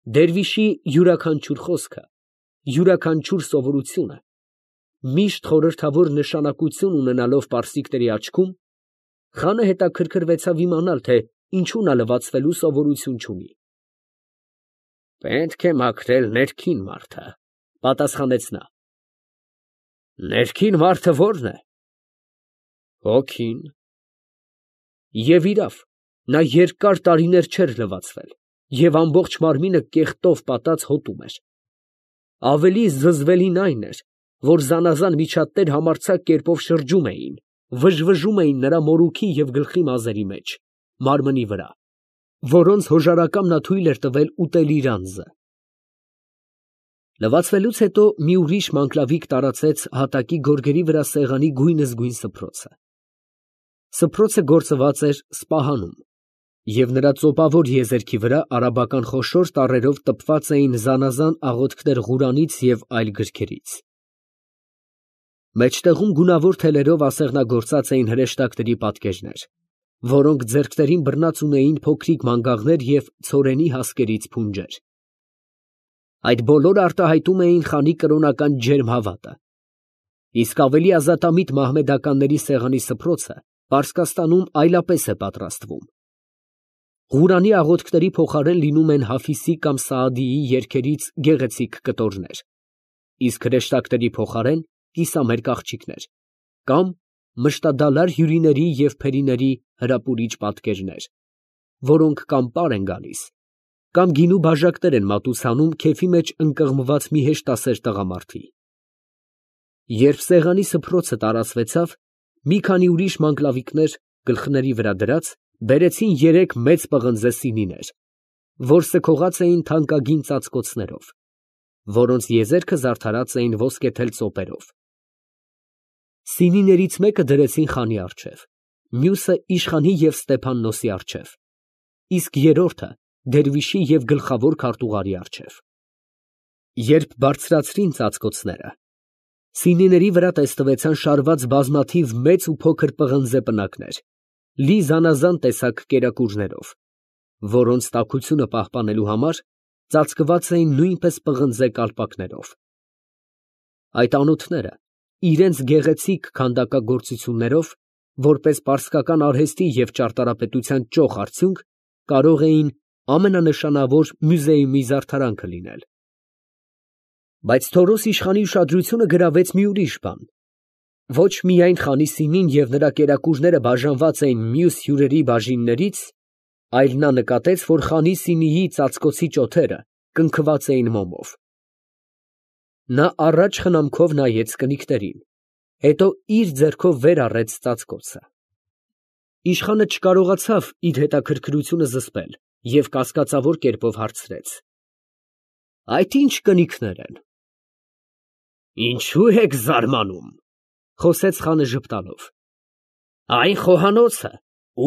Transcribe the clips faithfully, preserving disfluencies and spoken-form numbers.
Դերվիշի յուրաքանչյուր խոսքը, յուրաքանչյուր սովորությունը միշտ խորհրդավոր նշանակություն ունենալով պարսիկների աչքում, խանը հետաքրքրվեցավ իմանալ, թե ինչու նա լվացվելու սովորություն չունի։ ֊ Պետք է մաքրել ներքին մարդը, ֊ պատասխանեց նա։ ֊ Ներքին մարդը ո՞րն է։ ֊ Հոգին։ Եվ իրավ, նա երկար տարիներ չէր լվացվել և ամբողջ մարմինը կեղտով պատած հոտում էր։ Ավելի զզվելին այն էր, որ զանազան միջատներ համարձակ կերպով շրջում էին, վժվժում էին նրա մորուքի և գլխի մազերի մեջ, մարմնի վրա, որոնց հոժարակամ նա թույլ էր տվել ուտել իր անձը։ Լվացվելուց հետո մի ուրիշ մանգլավիկ տարածեց հատակի գորգերի վրա սեղանի գույնզգույն սփռոցը։ Սփռոցը գործված էր սպահանում, և նրա ծոպավոր եզերքի վրա արաբական խոշոր տառերով տպված էին զանազան աղոթքներ Ղուրանից և այլ գրքերից։ Մեջտեղում գունավոր թելերով ասեղնագործած էին հրեշտակների պատկերներ, որոնք ձեռքներին բռնած ունեին փոքրիկ մանգաղներ և ցորենի հասկերից փունջեր։ Այդ բոլորը արտահայտում էին խանի կրոնական ջերմ հավատը։ Իսկ ավելի ազատամիտ մահմեդականների սեղանի սփռոցը Պարսկաստանում այլապես է պատրաստվում։ Ղուրանի աղոթքների փոխարեն լինում են Հաֆիզի կամ Սաադիի երգերից գեղեցիկ կտորներ, իսկ հրեշտակների փոխարեն կիսամերկ աղջիկներ, կամ մշտադալար հյուրիների և փերիների հրապուրիչ պատկերներ, որոնք կամ պար են գալիս, կամ գինու բաժակներ են մատուցանում քեֆի մեջ ընկղմված մի հեշտասեր տղամարդի։ Երբ սեղանի սփռոցը տարածվեցավ, մի քանի ուրիշ մանգլավիկներ, գլխների վրա դրած, բերեցին երեք մեծ պղնձե սինիներ, որ սգողած էին թանկագին ծածկոցներով, որոնց եզերքը զարդարած էին ոսկեթել ծոպերով։ Սինիներից մեկը դրեցին խանի առջև, մյուսը իշխանի և Ստեփաննոսի առջև, իսկ երրորդը դերվիշի և գլխավոր քարտուղարի առջև։ Երբ բարձրացրին ծածկոցները, սինիների վրա տեստվեցան շարված բազմաթիվ մեծ ու փոքր պղնձե պնակներ, լի զանազան տեսակ կերակուրներով, որոնց տաքությունը պահպանելու համար ծածկված էին նույնպես պղնձե կալպակներով։ Այդ անոթները իրենց գեղեցիկ քանդակագործություններով, որպես պարսկական արհեստի և ճարտարապետության ճոխ արդյունք, կարող էին ամենանշանավոր մյուզեումի զարդարանքը լինել։ Բայց Թորոս իշխանի ուշադրությունը գրավեց մի ուրիշ բան. ոչ միայն խանի սինին և նրա կերակուրները բաժանված էին մյուս հյուրերի բաժիններից, այլ նա նկատեց, որ խանի սինիի ծածկոցի ճոթերը կնքված էին մոմով։ Նա առաջ խնամքով նայեց կնիկներին, հետո իր ձեռքով վեր առեց ծածկոցը։ Իշխանը չկարողացավ իր հետաքրքրությունը զսպել և կասկածավոր կերպով հարցրեց. ֊ Այդ ի՞նչ կնիկներ են։ ֊ Ինչո՞ւ եք զարմանում, ֊ խոսեց խանը ժպտալով. ֊ այն խոհանոցը,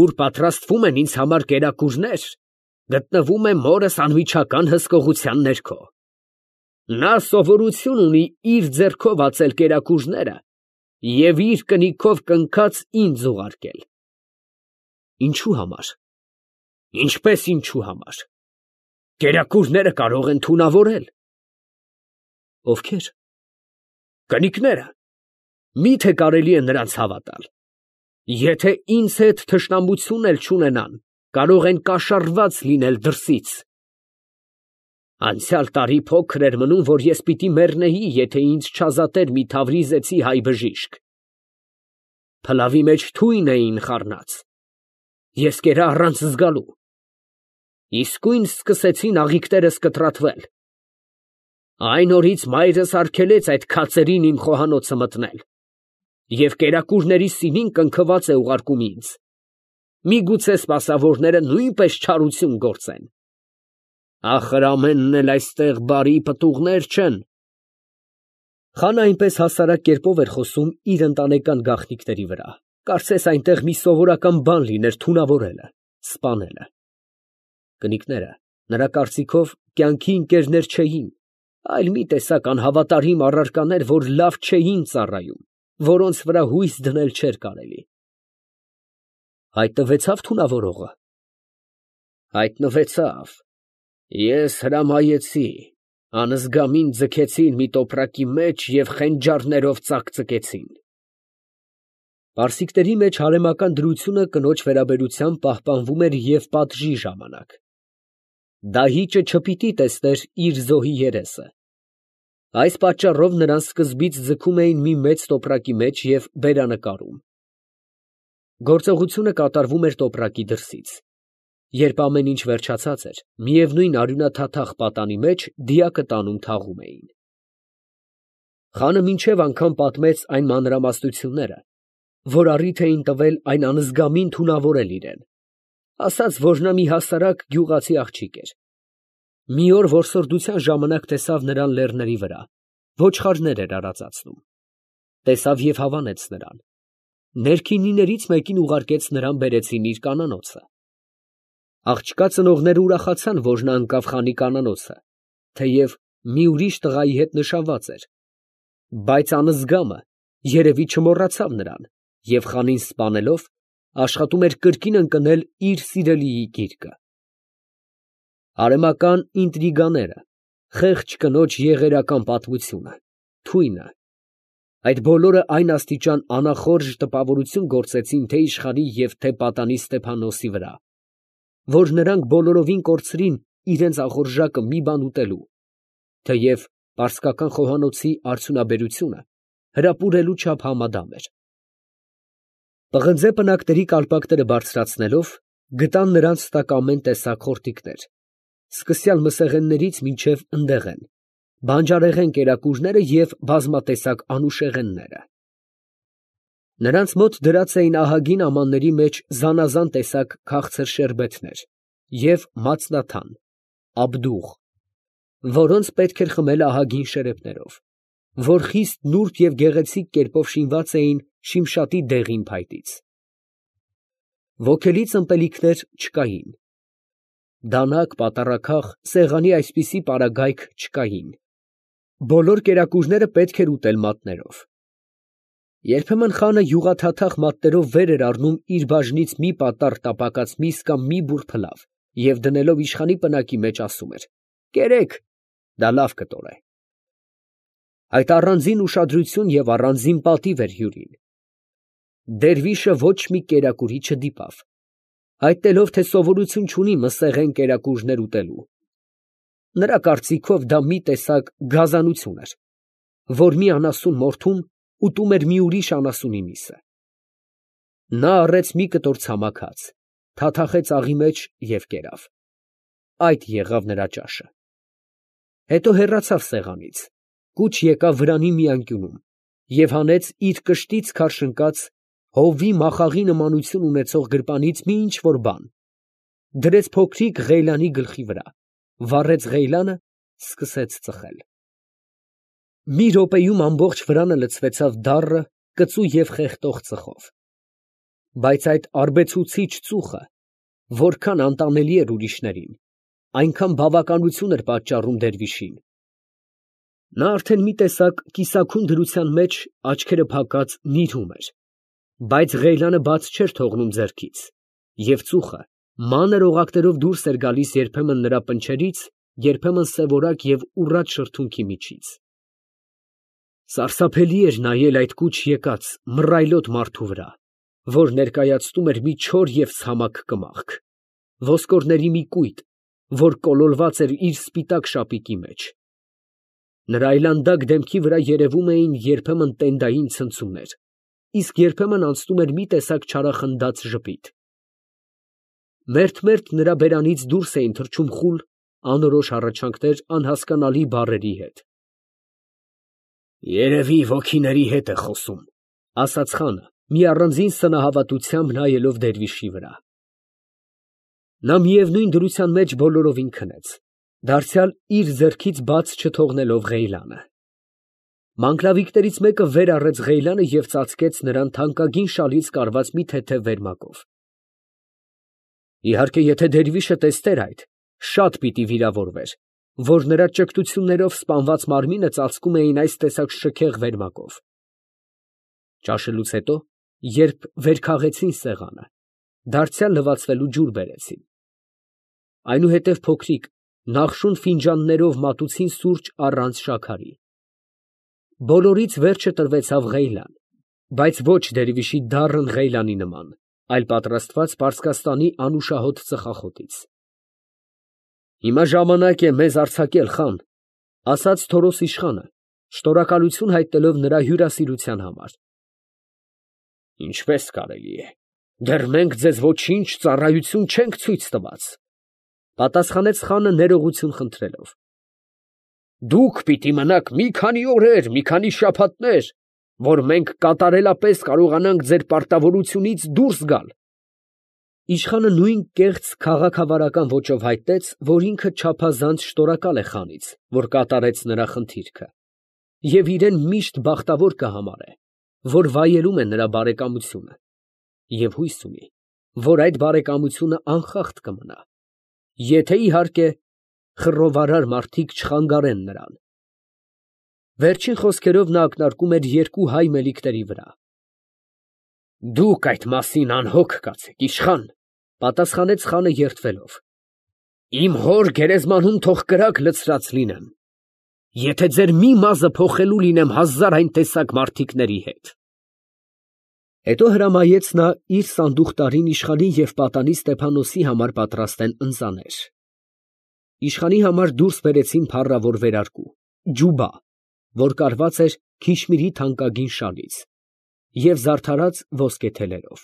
ուր պատրաստվում են ինձ համար կերակուրներ, գտնվում է մորս անմիջական հսկողության ներքո։ Նա սովորություն ունի իր ձեռքով ածել կերակուրները և իր կնիկով կնքած ինձ ուղարկել։ ֊ Ինչո՞ւ համար։ ֊ Ինչպես ինչո՞ւ համար։ Կերակուրները կարող են թունավորել։ ֊ Ովքե՞ր։ ֊ Կնիկները։ Մի՞թե կարելի է նրանց հավատալ։ Եթե ինձ հետ թշնամություն էլ չունենան, կարող են կաշառված լինել դրսից։ Անցյալ տարի փոքր էր մնում, որ ես պիտի մեռնեի, եթե ինձ չազատեր մի Թավրիզեցի հայ բժիշկ։ Փլավի մեջ թույն էին խառնած, ես կերա առանց զգալու։ Իսկույն սկսեցին աղիքներս կտրատվել։ Այն օրից մայրս արգելեց այդ քացերին իմ խոհանոցը մտնել, և կերակուրների սինին կնքված է ուղարկում ինձ։ Միգուցե սպասավորները նույնպես չարություն գործեն։ Ախր ամենն էլ այստեղ բարի պտուղներ չեն։ Խանը այնպես հասարակ կերպով էր խոսում իր ընտանեկան գաղտնիքների վրա, կարծես այնտեղ մի սովորական բան լիներ թունավորելը, սպանելը։ Կնիկները, նրա կարծիքով, կյանքի ընկերներ չէին, այլ մի տեսակ անհավատարիմ առարկաներ, որ լավ չէին ծառայում, որոնց վրա հույս դնել չէր կարելի։ Հայտնվեցա՞վ թունավորողը։ ֊ Հայտնվեցավ։ Ես հրամայեցի, անզգամին ձգեցին մի տոպրակի մեջ և խենջարներով ծակծկեցին։ Պարսիկների մեջ հարեմական դրությունը կնոջ վերաբերությամբ պահպանվում էր և պատժի ժամանակ։ Դահիճը չպիտի տեսներ իր զոհի երեսը։ Այս պատճառով նրան սկզբից ձգում էին մի մեծ տոպրակի մեջ և բերանը կարում։ Գործողությունը կատարվում էր տոպրակի դրսից։ Երբ ամեն ինչ վերջացած էր, միևնույն արյունաթաթախ պատանի մեջ դիակը տանում թաղում էին։ Խանը մինչև անգամ պատմեց այն մանրամասնությունները, որ առիթ էին տվել այն անզգամին թունավորել իրան, ասաց, որ նա մի հասարակ գյուղացի աղջիկ էր։ Մի օր որսորդության ժամանակ տեսավ նրան լեռների վրա, ոչխարներ էր արածացնում։ Տեսավ և հավանեց նրան։ Ներքինիներից մեկին ուղարկեց նրան բերեցին իր կանանոցը։ Աղջկա ծնողները ուրախացան, որ նա ընկավ խանի կանանոցը, թեև մի ուրիշ տղայի հետ նշանված էր, բայց անզգամը երևի չմոռացավ նրան և խանին սպանելով, աշխատում էր կրկին ընկնել իր սիրելիի գիրկը։ Արեմական ինտրիգաները, խեղճ կնոջ եղերական պատմությունը, թույնը, այդ բոլորը այն աստիճան անախորժ տպավորություն գործեցին թե իշխանի և թե պատանի Ստեփանոսի վրա, որ նրանք բոլորովին կորցրին իրենց ախորժակը մի բան ուտելու, թեև պարսկական խոհանոցի արդյունաբերությունը հրապուրելու չափ համադամ էր։ Պղնձե պնակների կալպակները բարձրացնելով, գտան նրանց տակ ամեն տեսակ խորտիկներ, սկսյալ մսեղեններից մինչև ընդեղեն, բանջարեղեն կերակուրները և բազմատեսակ անուշեղենները։ Նրանց մոտ դրած էին ահագին ամանների մեջ զանազան տեսակ քաղցր շերբեթներ և մածնաթան, աբդուղ, որոնց պետք էր խմել ահագին շերեփներով, որ խիստ նուրբ և գեղեցիկ կերպով շինված էին Շիմշատի դեղին փայտից։ Ոգելից ըմպելիքներ չկային։ Դանակ, պատառաքաղ, սեղանի այսպիսի պարագայք չկային։ Բոլոր կերակուրները պետք էր ուտել մատներով։ Երբեմն խանը յուղաթաթախ մատներով վեր էր առնում իր բաժնից մի պատառ տապակած միս կամ մի բուռ փլավ և դնելով իշխանի պնակի մեջ ասում էր. «Կերեք, դա լավ կտոր է»։ Այդ առանձին ուշադրություն և առանձին պատիվ էր հյուրին։ Դերվիշը ոչ մի կերակուրի չդիպավ, հայտնելով, թե սովորություն չունի մսեղեն կերակուրներ ուտելու։ Նրա կարծիքով դա մի տեսակ գազանություն էր, որ մի անասուն մորթում ուտում էր մի ուրիշ անասունի միսը։ Նա առեց մի կտոր ցամաք հաց, թաթախեց աղի մեջ և կերավ։ Այդ եղավ նրա ճաշը։ Հետո հեռացավ սեղանից, կուչ եկավ վրանի մի անկյունում և հանեց իր կշտից քարշընկած, հովվի մախաղի նմանություն ունեցող գրպանից մի ինչ֊որ բան, դրեց փոքրիկ Ղեյլանի գլխի վրա, վառեց Ղեյլանը, սկսեց ծխել։ Մի րոպեում ամբողջ վրանը լցվեցավ դառը, կծու և խեղդող ծխով։ Բայց այդ արբեցուցիչ ծուխը որքան անտանելի էր ուրիշներին, այնքան բավականություն էր պատճառում դերվիշին։ Նա արդեն մի տեսակ կիսաքուն դրության մեջ աչքերը փակած նիրհում էր, բայց Ղեյլանը բաց չէր թողնում ձեռքից, և ծուխը մանր օղակներով դուրս էր գալիս երբեմն նրա պնչերից, երբեմն սևորակ և ուռած շրթունքի միջից։ Սարսափելի էր նայել այդ կուչ եկած մռայլոտ մարդու վրա, որ ներկայացնում էր մի չոր և ցամաք կմախք, ոսկորների մի կույտ, որ կոլորված էր իր սպիտակ շապիկի մեջ։ Նրա այլանդակ դեմքի վրա երևում էին երբեմն տենդային ցնցումներ, իսկ երբեմն անցնում էր մի տեսակ չարախնդաց ժպիտ։ Մերթ֊մերթ նրա բերանից դուրս էին թռչում խուլ, անորոշ հառաչանքներ անհասկանալի բառերի հետ։ «Երևի ոգիների հետ է խոսում», ֊ ասաց խանը, մի առանձին սնահավատությամբ նայելով դերվիշի վրա։ Նա միևնույն դրության մեջ բոլորովին քնեց, դարձյալ իր ձեռքից բաց չթողնելով Ղեյլանը։ Մանկլավիկներից մեկը վեր առեց Ղեյլանը և ծածկեց նրան թանկագին շալից կարված մի թեթև վերմակով։ Իհարկե, եթե դերվիշը տեսներ այդ, շատ պիտի վիրավորվեր, որ նրա ճկտություններով սպանված մարմինը ծածկում էին այս տեսակ շքեղ վերմակով։ Ճաշելուց հետո, երբ վերքաղեցին սեղանը, դարձյալ լվացվելու ջուր բերեցին։ Այնուհետև փոքրիկ, նախշուն ֆինջաններով մատուցին սուրճ առանց շաքարի։ Բոլորից վերջը տրվեցավ Ղեյլան, բայց ոչ դերվիշի դառն Ղեյլանի նման, այլ պատրաստված Պարսկաստանի անուշահոտ ծխախոտից։ Հիմա ժամանակ է մեզ արձակել, խան, ասաց Թորոս իշխանը, շնորհակալություն հայտնելով նրա հյուրասիրության համար։ Ինչպես կարելի է, դեռ մենք ձեզ ոչինչ ծառայություն չենք ցույց տված, պատասխանեց խանը ներողություն խնդրելով։ Դուք պիտի մնաք մի քանի օրեր, մի քանի շաբաթներ, որ մենք կատարելապես կարողանանք ձեր պարտավորությունից դուրս գալ։ Իշխանը նույն կեղծ քաղաքավարական ոճով հայտնեց, որ ինքը չափազանց շնորհակալ է խանից, որ կատարեց նրա խնդիրքը, և իրեն միշտ բախտավոր կհամարե, որ վայելում է նրա բարեկամությունը, և հույս ունի, որ այդ բարեկամությունը անխախտ կմնա, եթե իհարկե խռովարար մարդիկ չխանգարեն նրան։ Վերջին խոսքերով նա ակնարկում էր երկու հայ մելիքների վրա։ Դուք այդ մասին անհոգ կացեք, իշխան, պատասխանեց խանը երդվելով։ Իմ հոր գերեզմանում թող կրակ լցրած լինեմ, եթե ձեր մի մազը փոխելու լինեմ հազար այն տեսակ մարդիկների հետ։ Հետո հրամայեց նա իր սանդուղտարին իշխանի և պատանի Ստեփանոսի համար պատրաստեն ընծաներ։ Իշխանի համար դուրս բերեցին փառավոր վերարկու, ջուբա, որ կարված էր քիշմիրի թանկագին շալից և զարդարած ոսկե թելերով։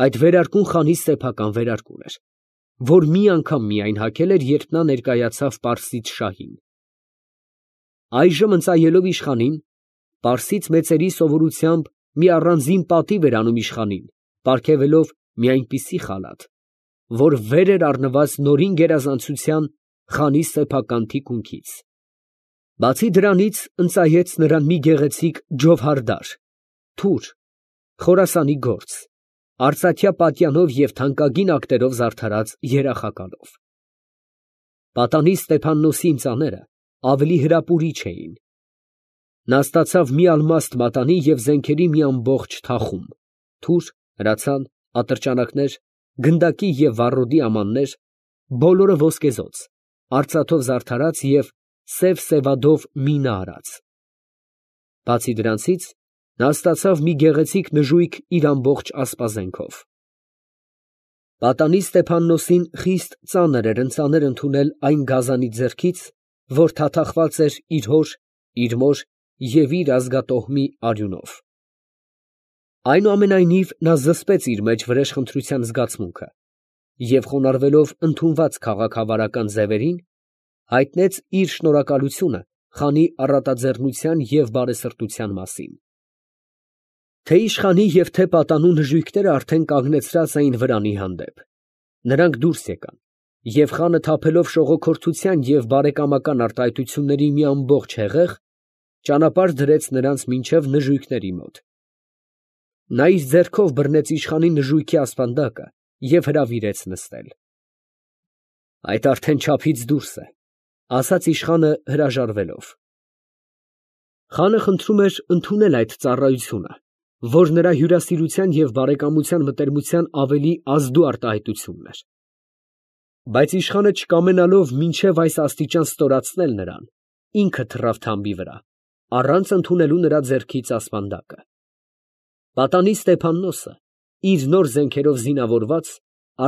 Այդ վերարկուն խանի սեփական վերարկուն էր, որ մի անգամ միայն հագել էր, երբ նա ներկայացավ պարսից շահին։ Այժմ ընծայելով իշխանին, պարսից մեծերի սովորությամբ մի առանձին պատիվ էր անում իշխանին, պարգևելով մի այնպիսի խալաթ, որ վեր էր առնված նորին գերազանցության խանի սեփական թիկունքից։ Բացի դրանից ընծայեց նրան մի գեղեցիկ ջովհարդար, թուր, Խորասանի գործ, արծաթյա պատյանով և թանկագին ակտերով զարդարած երախակալով։ Պատանի Ստեփաննոսի ընծաները ավելի հրապուրիչ էին։ Նա ստացավ մի ալմաստ մատանի և զենքերի մի ամբողջ թախում, թուր, հրացան, ատրճանակներ, գնդակի և վառոդի ամաններ, բոլորը ոսկեզօծ, արծաթով զարդարած և սև սևադով մինը արած։ Բացի դրանցից, նա ստացավ մի գեղեցիկ նժույգ իր ամբողջ ասպազենքով։ Պատանի Ստեփաննոսին խիստ ծանր էր ընծաներ ընդունել այն գազանի ձեռքից, որ թաթախված էր իր հոր, իր մոր և իր ազգատոհմի արյունով։ Այնուամենայնիվ նա զսպեց իր մեջ վրեժխնդրության զգացմունքը և խոնարհվելով ընդունված քաղաքավարական ձևերին, հայտնեց իր շնորհակալությունը խանի առատաձեռնության և բարեսրտության մասին։ Թե իշխանի և թե պատանու նժույգները արդեն կանգնեցրած էին վրանի հանդեպ, նրանք դուրս եկան, և խանը թափելով շողոքորթության և բարեկամական արտահայտությունների մի ամբողջ հեղեղ, ճանապարհ դրեց նրանց մինչև նժույգների մոտ։ Նա իր ձեռքով բռնեց իշխանի նժույգի ասպանդակը և հրավիրեց նստել։ Այդ արդեն չափից դուրս է, ասաց իշխանը հրաժարվելով։ Խանը խնդրում էր ընդունել այդ ծառայությունը, որ նրա հյուրասիրության և բարեկամության մտերմության ավելի ազդու արտահայտությունն էր։ Բայց իշխանը չկամենալով մինչև այս աստիճան ստորացնել նրան, ինքը թռավ թամբի վրա, առանց ընդունելու նրա ձեռքից ասպանդակը։ Պատանի Ստեփաննոսը, իր նոր զենքերով զինավորված,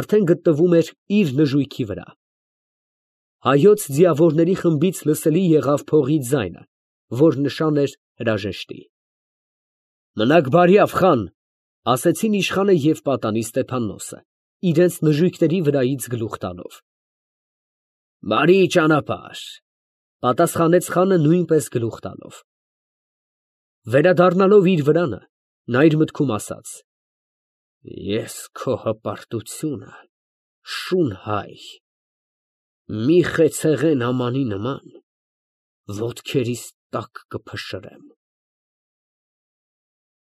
արդեն գտնվում էր իր նժույգի վրա։ Հայոց ձիավորների խմբից լսելի եղավ փողի ձայնը, որ նշան էր հրաժեշտի։ Մնաք բարյավ, խան, ասեցին իշխանը և պատանի Ստեփաննոսը, իրենց նժույգների վրայից գլուխ տալով։ Բարի ճանապարհ, պատասխանեց խանը նույնպես գլուխ տալով։ Վերադառնալով իր վրանը, նա իր մտքում ասաց. Ես քո հպարտությունը, շուն հայ, մի խեցեղեն ամանի նման ոտքերիս տակ կփշրեմ։